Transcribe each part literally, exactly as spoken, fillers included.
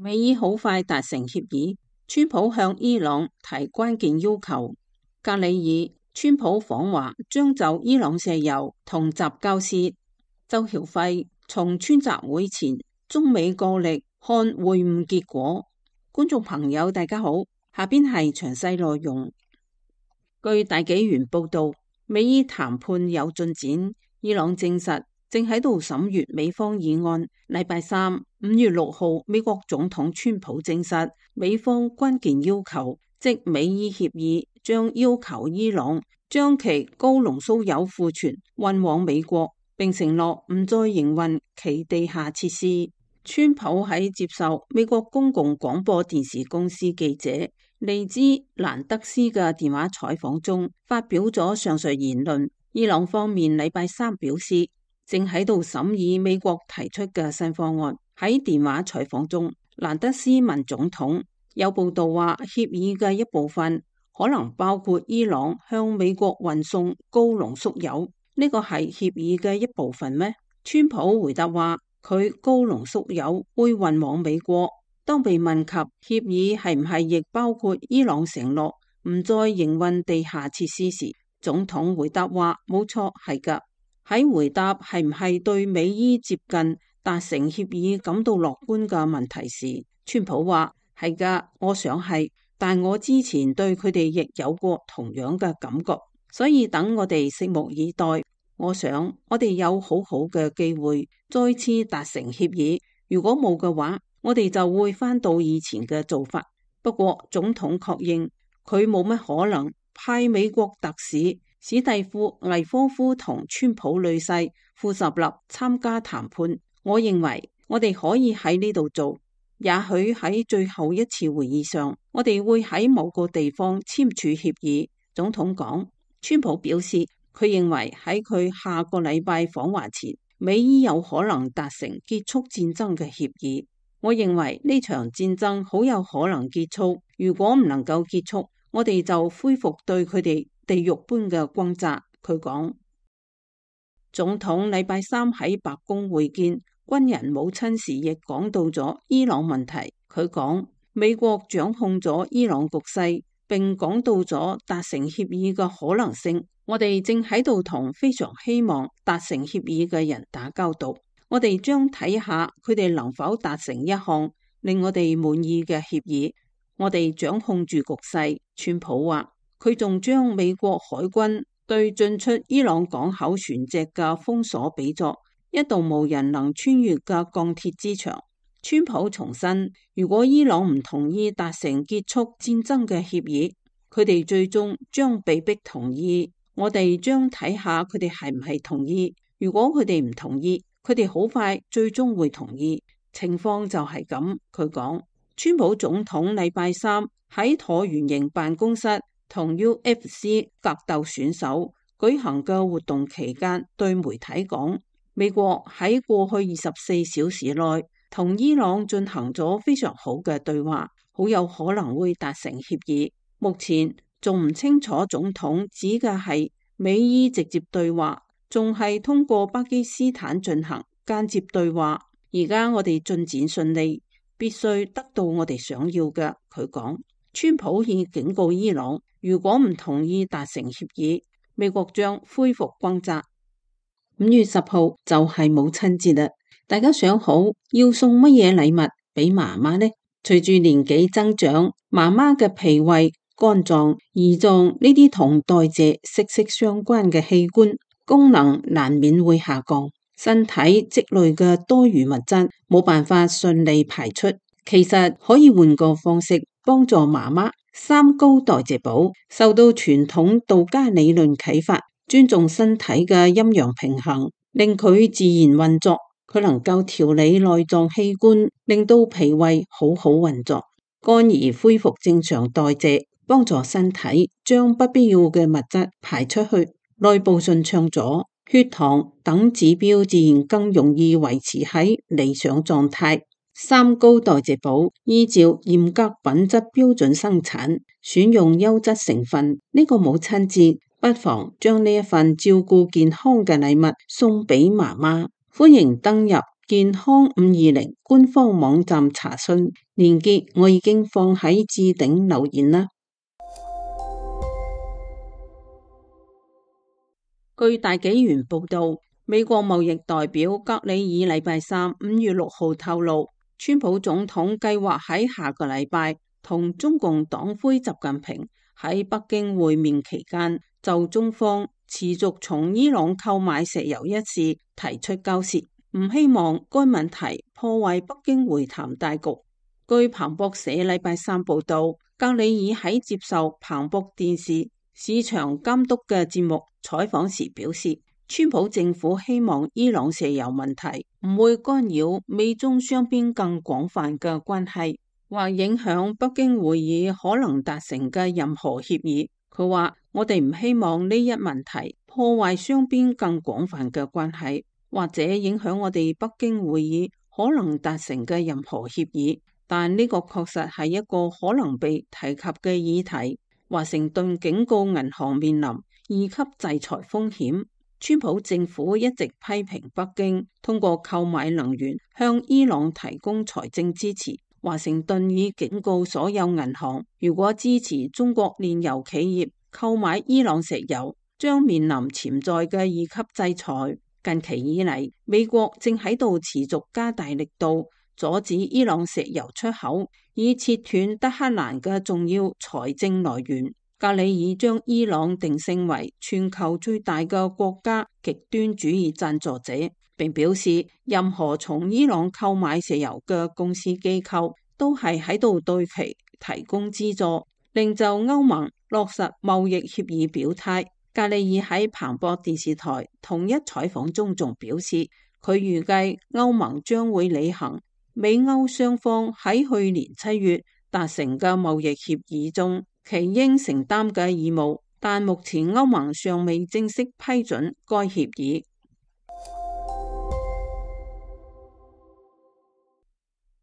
美伊好快達成協議，川普向伊朗提關鍵要求。格里爾，川普訪華將就伊朗石油同習交涉。周曉輝，從川習會前，中美角力看會晤結果。觀眾朋友大家好，下邊係詳細內容。據大紀元報道，美伊談判有進展，伊朗證實正喺度審閱美方議案。禮拜三五月六號，美國總統川普證實美方關鍵要求，即美伊協議將要求伊朗將其高濃縮鈾庫存運往美國，並承諾唔再營運其地下設施。川普喺接受美國公共廣播電視公司記者利茲蘭德斯嘅電話採訪中，發表咗上述言論。伊朗方面禮拜三表示，正喺度審議美國提出嘅新方案。喺電話採訪中，蘭德斯問總統，有報道話協議嘅一部分可能包括伊朗向美國運送高濃縮鈾，呢個係協議嘅一部分咩？川普回答話，佢高濃縮鈾會運往美國。當被問及協議係唔係亦包括伊朗承諾唔再營運地下設施時，總統回答話冇錯，係噶。喺回答係唔係對美伊接近達成協議感到樂觀嘅問題時，川普話係噶，我想係，但我之前對佢哋亦有過同樣嘅感覺，所以等我哋拭目以待。我想我哋有好好嘅機會再次達成協議，如果冇嘅話，我哋就會返到以前嘅做法。不過總統確認佢冇乜可能派美國特使史蒂夫魏科夫同川普女婿庫什納參加談判。我認為我哋可以喺呢度做，也許喺最後一次會議上，我哋會喺某個地方簽署協議。總統講。川普表示，佢認為喺佢下個禮拜訪華前，美伊有可能達成結束戰爭嘅協議。我認為呢場戰爭好有可能結束，如果唔能夠結束，我哋就恢復對佢哋地獄般嘅轟炸。佢講。總統禮拜三喺白宮會見軍人母親時，亦講到咗伊朗問題。佢講，美國掌控咗伊朗局勢，並講到咗達成協議嘅可能性。我哋正喺度同非常希望達成協議嘅人打交道，我哋將睇下佢哋能否達成一項令我哋滿意嘅協議。我哋掌控住局勢。川普話，佢仲將美國海軍對進出伊朗港口船隻嘅封鎖比作一道無人能穿越嘅鋼鐵之牆。川普重申，如果伊朗唔同意達成結束戰爭嘅協議，佢哋最終將被逼同意。我哋將睇下佢哋係唔係同意。如果佢哋唔同意，佢哋好快最終會同意。情況就係咁。佢講。川普總統禮拜三喺橢圓形辦公室同 U F C 格鬥選手舉行嘅活動期間，對媒體講，美國喺過去二十四小時內同伊朗進行咗非常好嘅對話，好有可能會達成協議。目前仲唔清楚總統指嘅係美伊直接對話，仲係通過巴基斯坦進行間接對話。而家我哋進展順利，必須得到我哋想要嘅。佢講。川普已警告伊朗，如果唔同意達成協議，美國將恢復轟炸。五月十號就係母親節啦，大家想好要送乜嘢禮物俾媽媽呢？隨住年紀增長，媽媽嘅脾胃、肝臟、胰臟呢啲同代謝息息相關嘅器官功能難免會下降，身體積累嘅多餘物質冇辦法順利排出。其實可以換個方式幫助媽媽。三高代謝寶受到傳統道家理論啟發，尊重身體嘅陰陽平衡，令佢自然運作。佢能夠調理內臟器官，令到脾胃好好運作，肝兒恢復正常代謝，幫助身體將不必要嘅物質排出去，內部順暢咗，血糖等指標自然更容易維持喺理想狀態。三高代謝寶依照嚴格品質標準生產，選用優質成分。呢個母親節不妨將呢一份照顧健康嘅禮物送俾媽媽。歡迎登入健康五二零官方網站查詢，連結我已經放喺置頂留言啦。據大紀元報道，美國貿易代表格里爾禮拜三五月六號透露，川普總統計劃喺下個禮拜同中共黨魁習近平喺北京會面期間，就中方持續從伊朗購買石油一事提出交涉，唔希望該問題破壞北京會談大局。據彭博社禮拜三報道，格里爾喺接受彭博電視市場監督嘅節目採訪時表示，川普政府希望伊朗石油問題唔會干擾美中雙邊更廣泛嘅關係，或影響北京會議可能達成嘅任何協議。佢話：我哋唔希望呢一問題破壞雙邊更廣泛嘅關係，或者影響我哋北京會議可能達成嘅任何協議。但呢個確實係一個可能被提及嘅議題。華盛頓警告銀行面臨二級制裁風險。川普政府一直批評北京通過購買能源向伊朗提供財政支持。華盛頓已警告所有銀行，如果支持中國煉油企業購買伊朗石油，將面臨潛在嘅二級制裁。近期以嚟，美國正喺度持續加大力度阻止伊朗石油出口，以切斷德黑蘭嘅重要財政來源。格里爾將伊朗定性為全球最大嘅國家極端主義贊助者，並表示任何從伊朗購買石油嘅公司機構都係喺度對其提供資助，令就歐盟落實貿易協議表態。格里爾喺彭博電視台同一採訪中仲表示，佢預計歐盟將會履行美歐雙方喺去年七月達成嘅貿易協議中其應承擔嘅義務，但目前歐盟尚未正式批准該協議。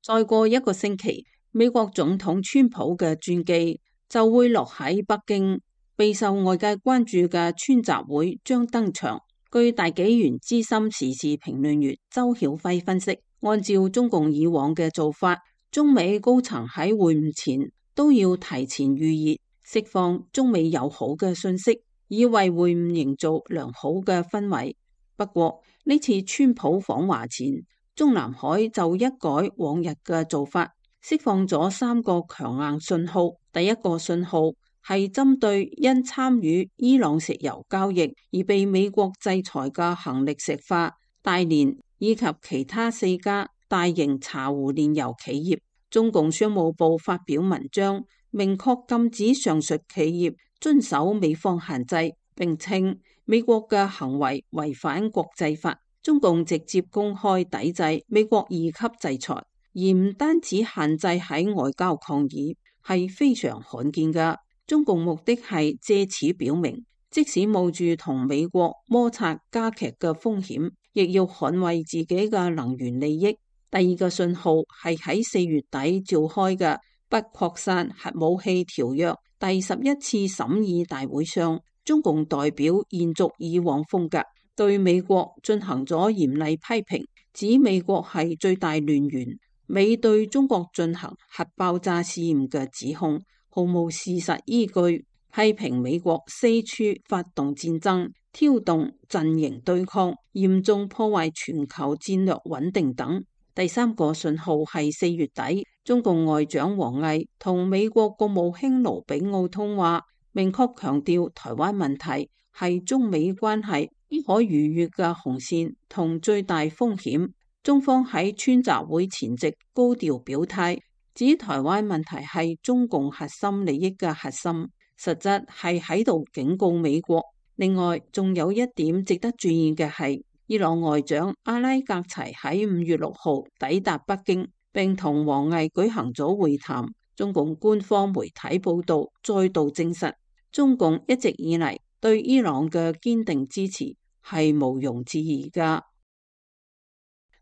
再過一個星期，美國總統川普嘅專機就會落喺北京，備受外界關注嘅川習會將登場。據大紀元資深時事評論員周曉輝分析，按照中共以往嘅做法，中美高層喺會晤前都要提前預熱，釋放中美友好嘅信息，以為會晤營造良好嘅氛圍。不過呢次川普訪華前，中南海就一改往日嘅做法，釋放咗三個強硬信號。第一個信號係針對因參與伊朗石油交易而被美國制裁嘅恒力石化、大連以及其他四家大型茶壺煉油企業。中共商務部發表文章，明確禁止上述企業遵守美方限制，並稱美國嘅行為違反國際法。中共直接公開抵制美國二級制裁，而唔單止限制喺外交抗議，係非常罕見嘅。中共目的係借此表明，即使冒住同美國摩擦加劇嘅風險，亦要捍衛自己嘅能源利益。第二個信號係喺四月底召開嘅不擴散核武器條約第十一次審議大會上，中共代表延續以往風格，對美國進行咗嚴厲批評，指美國係最大亂源。美對中國進行核爆炸試驗嘅指控毫無事實依據，批評美國四處發動戰爭，挑動陣營對抗，嚴重破壞全球戰略穩定等。第三個信號係四月底，中共外長王毅同美國國務卿盧比奧通話，明確強調台灣問題係中美關係不可逾越嘅紅線同最大風險。中方喺川習會前夕高調表態，指台灣問題係中共核心利益嘅核心，實質係喺度警告美國。另外，仲有一點值得注意嘅係，伊朗外長阿拉格齊喺五月六號抵達北京，並同王毅舉行咗會談。中共官方媒體報道再度證實，中共一直以嚟對伊朗嘅堅定支持係毋庸置疑噶。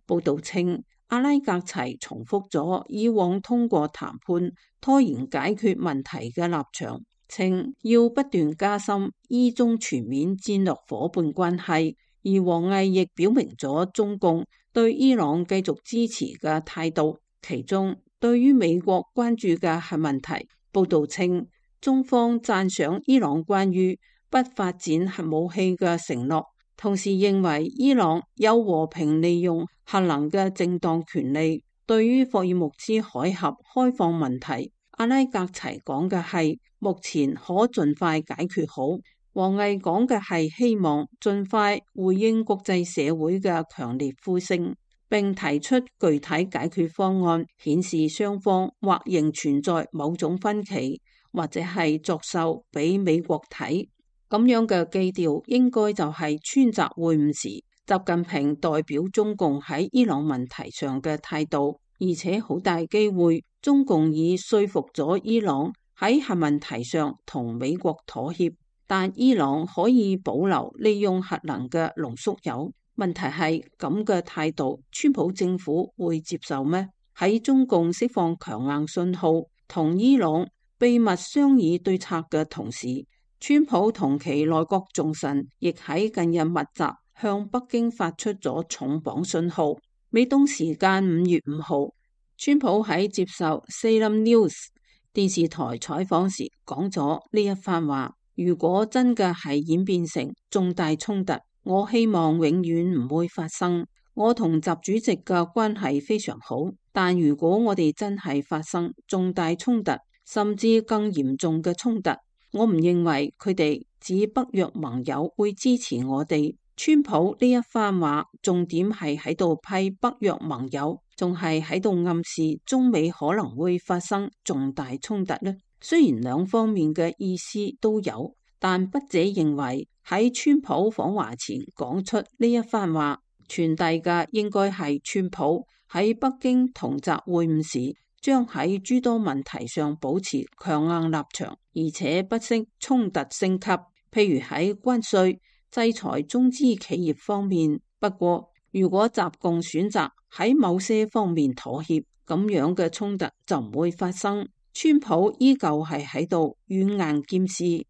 報道稱，阿拉格齊重複咗以往通過談判拖延解決問題嘅立場，稱要不斷加深伊中全面戰略夥伴關係，而王毅亦表明咗中共對伊朗繼續支持嘅態度。其中，對於美國關注嘅核問題，報道稱中方讚賞伊朗關於不發展核武器嘅承諾，同時認為伊朗有和平利用核能嘅正當權利。對於霍爾木茲海峽開放問題，阿拉格齊講嘅係目前可盡快解決好，王毅講嘅係希望盡快回應國際社會嘅強烈呼聲，並提出具體解決方案，顯示雙方或仍存在某種分歧，或者係作秀俾美國睇。咁樣嘅基調應該就係川習會晤時習近平代表中共喺伊朗問題上嘅態度，而且好大機會中共已說服咗伊朗喺核問題上同美國妥協，但伊朗可以保留利用核能嘅濃縮鈾。問題係咁嘅態度，川普政府會接受咩？喺中共釋放強硬信號同伊朗秘密商議對策嘅同時，川普同其內閣重臣亦喺近日密集向北京發出咗重磅信號。美東時間五月五號，川普喺接受 Salem News 電視台採訪時講咗呢一番話：如果真嘅係演變成重大衝突，我希望永遠唔會發生。我同習主席嘅關係非常好，但如果我哋真係發生重大衝突，甚至更嚴重嘅衝突，我唔認為佢哋指北約盟友會支持我哋。川普呢一番話重點係喺度批北約盟友，仲係喺度暗示中美可能會發生重大衝突呢？雖然兩方面嘅意思都有，但筆者認為喺川普訪華前講出呢一番話，傳遞嘅應該係川普喺北京同習會晤時將喺諸多問題上保持強硬立場，而且不惜衝突升級，譬如喺關稅、制裁中資企業方面。不過，如果習共選擇喺某些方面妥協，咁樣嘅衝突就唔會發生。川普依舊係喺度軟硬兼施。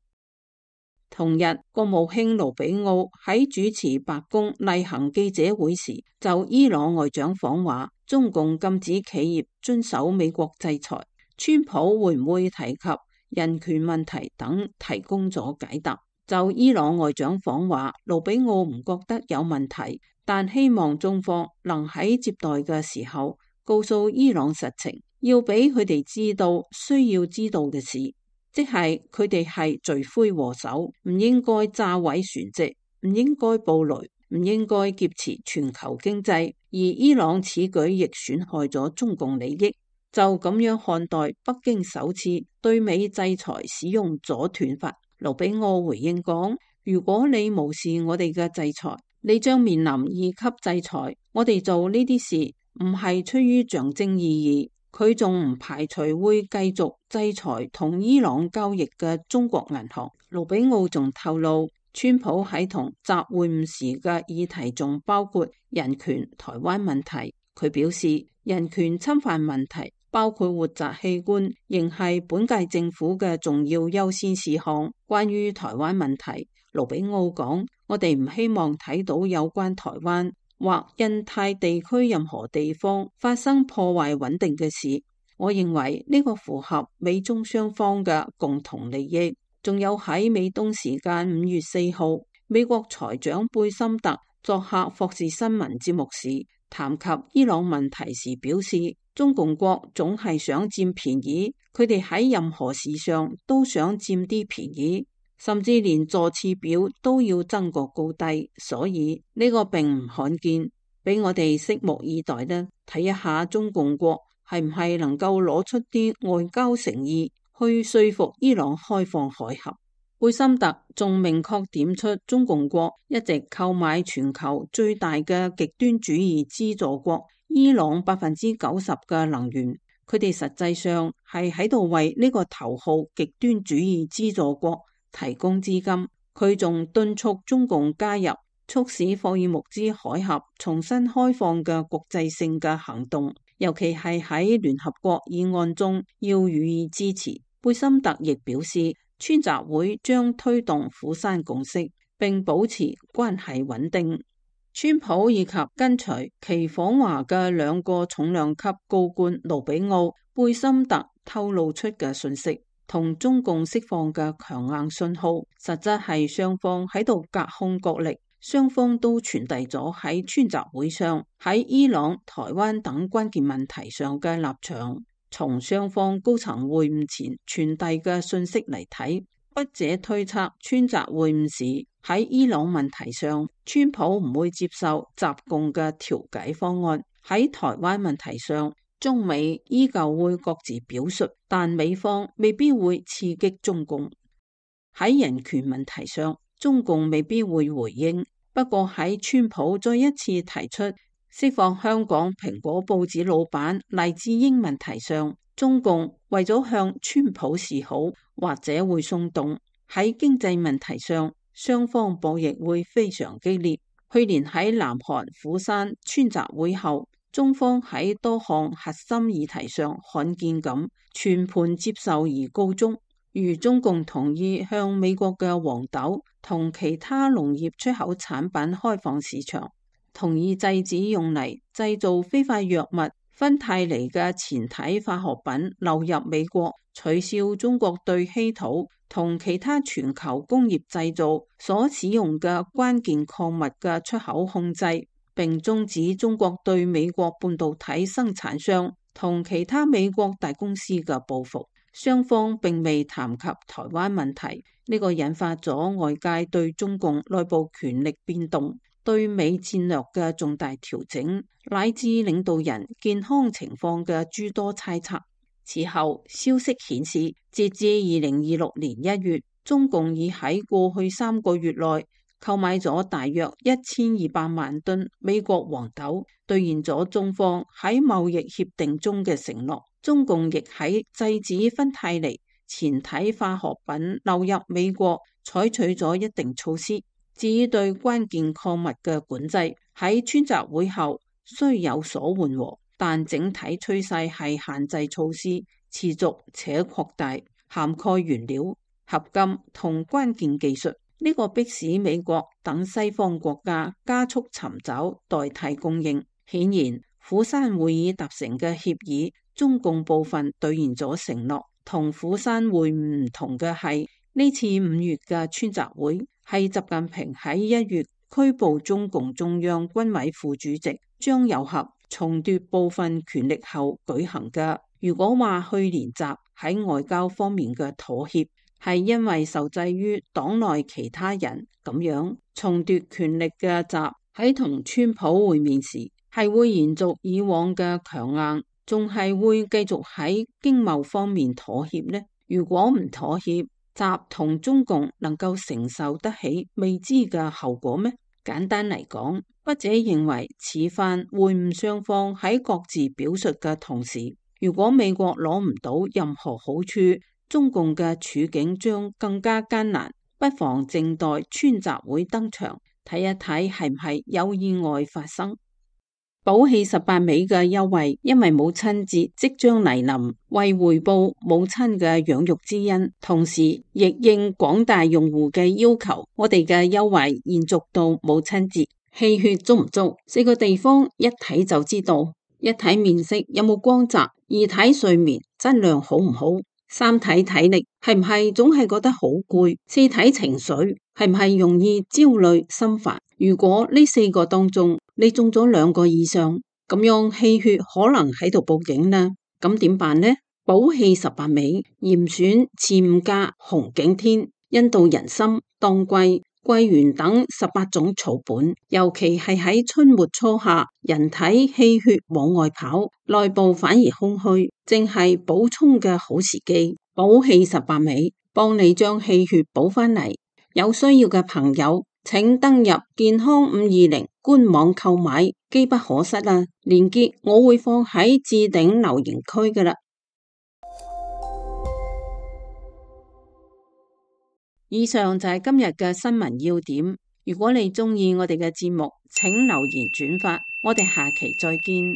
同日，國務卿盧比奧喺主持白宮例行記者會時，就伊朗外長訪華，中共禁止企業遵守美國制裁，川普會唔會提及人權問題等，提供咗解答。就伊朗外長訪華，盧比奧唔覺得有問題，但希望中方能喺接待嘅時候告訴伊朗實情，要俾佢哋知道需要知道嘅事，即係佢哋係罪魁禍首，唔應該炸毀船隻，唔應該暴雷，唔應該劫持全球經濟，而伊朗此舉亦損害咗中共利益。就咁樣看待北京首次對美制裁使用阻斷法。盧比奧回應講：如果你無視我哋嘅制裁，你將面臨二級制裁。我哋做呢啲事唔係出於象徵意義。佢仲唔排除會繼續制裁同伊朗交易嘅中國銀行。盧比奧仲透露，川普喺同習會晤時嘅議題仲包括人權、台灣問題。佢表示，人權侵犯問題包括活摘器官，仍係本屆政府嘅重要優先事項。關於台灣問題，盧比奧講：我哋唔希望睇到有關台灣或印太地區任何地方發生破壞穩定嘅事。我認為呢個符合美中雙方嘅共同利益。仲有喺美東時間五月四號，美國財長貝森特作客霍士新聞節目時，談及伊朗問題時表示，中共國總係想佔便宜，佢哋喺任何事上都想佔啲便宜，甚至連座次表都要爭個高低，所以呢個並唔罕見，俾我哋拭目以待呢，睇一下中共國係唔係能夠攞出啲外交誠意去說服伊朗開放海峽。貝森特仲明確點出，中共國一直購買全球最大嘅極端主義資助國伊朗百分之九十嘅能源，佢哋實際上係喺度為呢個頭號極端主義資助國提供資金。佢仲敦促中共加入促使霍爾木茲海峽重新開放嘅國際性嘅行動，尤其係喺聯合國議案中要予以支持。貝森特亦表示，川習會將推動釜山共識，並保持關係穩定。川普以及跟隨其訪華嘅兩個重量級高官盧比奧、貝森特透露出嘅信息，同中共釋放嘅強硬信號，實質係雙方喺度隔空角力。雙方都傳遞咗喺川習會上喺伊朗、台灣等關鍵問題上嘅立場。從雙方高層會晤前傳遞嘅信息嚟睇，筆者推測川習會晤時喺伊朗問題上，川普唔會接受習共嘅調解方案；喺台灣問題上，中美依舊會各自表述，但美方未必會刺激中共。喺人權問題上，中共未必會回應。不過喺川普再一次提出釋放香港蘋果報紙老闆黎智英問題上，中共為咗向川普示好，或者會鬆動。喺經濟問題上，雙方博弈會非常激烈。去年喺南韓釜山川習會後，中方喺多項核心議題上罕見咁全盤接受而告終。如中共同意向美國嘅黃豆同其他農業出口產品開放市場，同意制止用嚟製造非法藥物芬太尼嘅前體化學品流入美國，取消中國對稀土同其他全球工業製造所使用嘅關鍵礦物嘅出口控制，並終止中國對美國半導體生產商同其他美國大公司嘅報復。雙方並未談及台灣問題，呢個引發咗外界對中共內部權力變動、對美戰略嘅重大調整，乃至領導人健康情況嘅諸多猜測。此後，消息顯示，截至二零二六年一月，中共已喺過去三個月內購買咗大約一千二百萬噸美國黃豆，兌現咗中方喺貿易協定中嘅承諾。中共亦喺制止芬太尼前體化學品流入美國採取咗一定措施。至於對關鍵礦物嘅管制，喺川習會後雖有所緩和，但整體趨勢係限制措施持續且擴大，涵蓋原料、合金同關鍵技術。呢個迫使美國等西方國家加速尋找代替供應。顯然，釜山會議達成嘅協議，中共部分兌現咗承諾。同釜山會晤唔同嘅係，呢次五月嘅川習會係習近平喺一月拘捕中共中央軍委副主席張又俠，重奪部分權力後舉行嘅。如果話去年習喺外交方面嘅妥協係因為受制於黨內其他人，咁樣重奪權力嘅習喺同川普會面時係會延續以往嘅強硬，仲係會繼續喺經貿方面妥協呢？如果唔妥協，習同中共能夠承受得起未知嘅後果咩？簡單嚟講，筆者認為此番會晤雙方喺各自表述嘅同時，如果美國攞唔到任何好處，中共嘅處境將更加艱難，不妨靜待川習會登場，睇一睇係唔係有意外發生。寶氣十八味嘅優惠，因為母親節即將嚟臨，為回報母親嘅養育之恩，同時亦應廣大用戶嘅要求，我哋嘅優惠延續到母親節。氣血足唔足？四個地方一睇就知道：一睇面色有冇光澤，二睇睡眠質量好唔好，三睇體力係唔係總係覺得好攰，四睇情緒係唔係容易焦慮心煩。如果呢四個當中你中咗兩個以上，咁樣氣血可能喺度報警啦。咁點辦呢？寶氣十八味，嚴選次五加、紅景天、印度人參、當歸、桂圓等十八種草本，尤其係喺春末初夏，人體氣血往外跑，內部反而空虛，正係補充嘅好時機。寶氣十八味幫你將氣血補翻嚟。有需要嘅朋友，請登入健康五二零官網購買，機不可失啊！鏈接我會放喺置頂留言區噶啦。以上就係今日嘅新聞要點。如果你鍾意我哋嘅節目，請留言轉發。我哋下期再見。